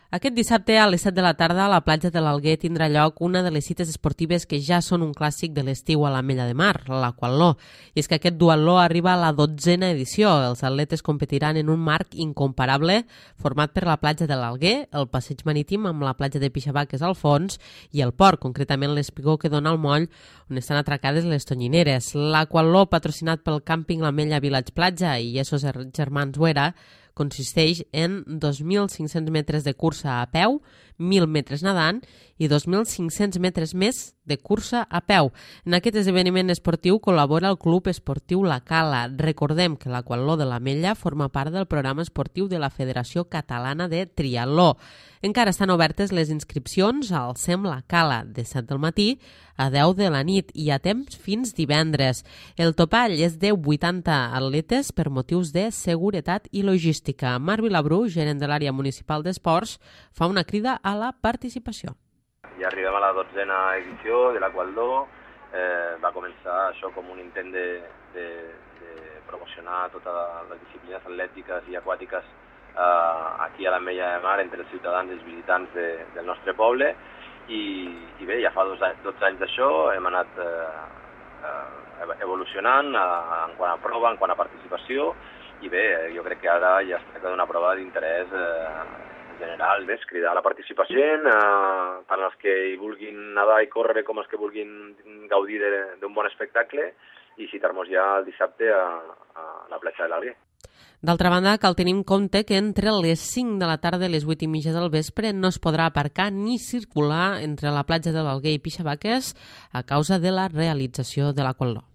Aquest dissabte a les 7 de la tarda a la platja de l'Alguer tindrà lloc una de les cites esportives que ja són un clàssic de l'estiu a l'Ametlla de Mar, l'Aquatló. I és que aquest duatló arriba a la 12a edició. Els atletes competiran en un marc incomparable format per la platja de l'Alguer, el passeig marítim amb la platja de Pixabaques al fons i el port, concretament l'espigó que dona al moll on estan atracades les tonyineres. L'Aquatló, patrocinat pel càmping l'Ametlla Village Platja i Esos Germans Huera, consisteix en 2.500 metres de cursa a peu, 1.000 metres nedant i 2.500 metres més de cursa a peu. En aquest esdeveniment esportiu col·labora el Club Esportiu La Cala. Recordem que l'Aquatló de l'Ametlla forma part del programa esportiu de la Federació Catalana de Triatló. Encara estan obertes les inscripcions al SEM La Cala de 7 del matí a 10 de la nit i a temps fins divendres. El topall és de 80 atletes per motius de seguretat i logística. Marc Vilabrú, gerent de l'àrea municipal d'esports, fa una crida a la participació. Ja arribem a la 12a edició de l'Aquatló. Va començar això com un intent de promocionar totes les disciplines atlètiques i aquàtiques aquí a l'Ametlla de Mar entre els ciutadans i els visitants del nostre poble. I bé, ja fa 12 anys d'això, hem anat evolucionant en quant a prova, en quant a participació, i bé, jo crec que ara ja es tracta d'una prova d'interès general, és cridar a la participació, tant els que hi vulguin nedar i córrer com els que vulguin gaudir d'un bon espectacle, i citar-nos ja el dissabte a la platja de l'Alguer. D'altra banda, cal tenir en compte que entre les 5 de la tarda i les 8:30 del vespre no es podrà aparcar ni circular entre la platja de l'Alguer i Pixabaques a causa de la realització de l'Aquatló.